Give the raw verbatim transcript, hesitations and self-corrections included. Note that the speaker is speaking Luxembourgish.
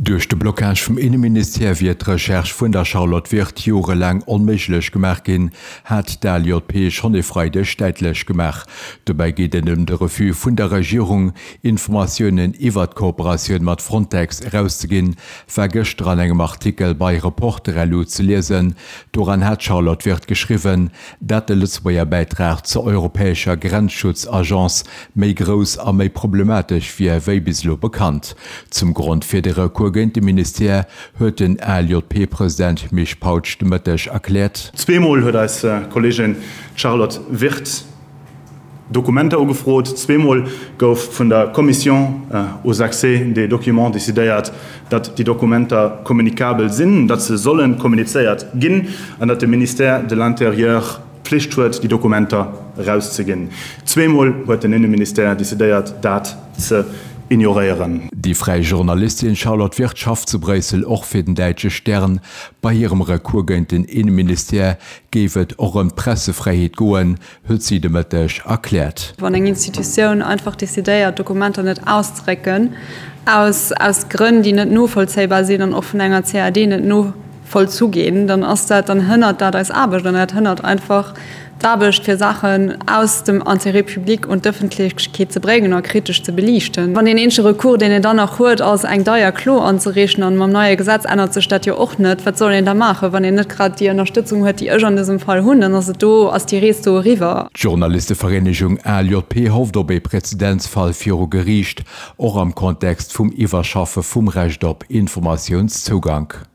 Duerch de Blockage vum Inneministère wier d'Recherche vun der Charlotte Wirth jorelaang onméiglech gemaach ginn, hat d'ALJP schonn e Freideg däitlech gemaach. Dobäi geet et ëm de Refus vun der Regierung, Informatiounen iwwer d'Kooperatioun mat Frontex erauszeginn, war gëschter an engem Artikel bei Reporter-lu ze liesen. Doran hat d'Charlotte Wirth geschriwwen, dat de Lëtzebuerger Bäitrag zur europäescher Grenzschutzagence méi grouss a méi problematesch wier wéi bis elo bekannt. Zum Grond fir de Recours géint de Ministère huet den ALJP-President Misch Pautsch de Mëtteg erkläert. Zweemol huet eis Kolleegin Charlotte Wirth Dokumenter ugefrot. Zweemol gouf vun der Commission aux accès des documents decidéiert, datt déi Dokumenter kommunikabel sinn, datt se solle kommunizéiert ginn an datt de Ministère de l'Intérieur d'Pflicht huet, déi Dokumenter erauszeginn. Zweemol huet den Inneministère decidéiert, dat ze ignoréieren. Déi fräi Journalistin Charlotte Wirth schafft zu Bréissel och fir den däitsche Stern. Bei hirem Recours géint den Inneministère géif et och ëm d'Pressefräiheet goen, huet si de Mëtteg erkläert. Wann eng Institutioun einfach decidéiert, Dokumenter net auszedrécken, aus aus Grënn, déi net novollzéibar sinn an och vun enger CAD net novollzu ginn, dann ass dat, dann hënnert dat eis Aarbecht an dat hënnert einfach d'Aarbecht, fir Saachen aus dem Intérêt public un d'Ëffentlechkeet ze bréngen a kritesch ze beliichten. Wann deen eenzege Recours, deen een dann nach huet, ass eng deier Klo anzereechen, an mam neie Gesetz ännert sech dat jo och net, wat soll een da maachen, wann een net grad déi Ënnerstëtzung huet, déi ech an dësem Fall hunn, dann ass et do, ass déi Rees do eriwwer. D'Journalistevereenegung ALJP hofft op ee Präzedenzfall viru Geriicht, och am Kontext vum Iwwerschaffe vum Recht op Informatiounszougank.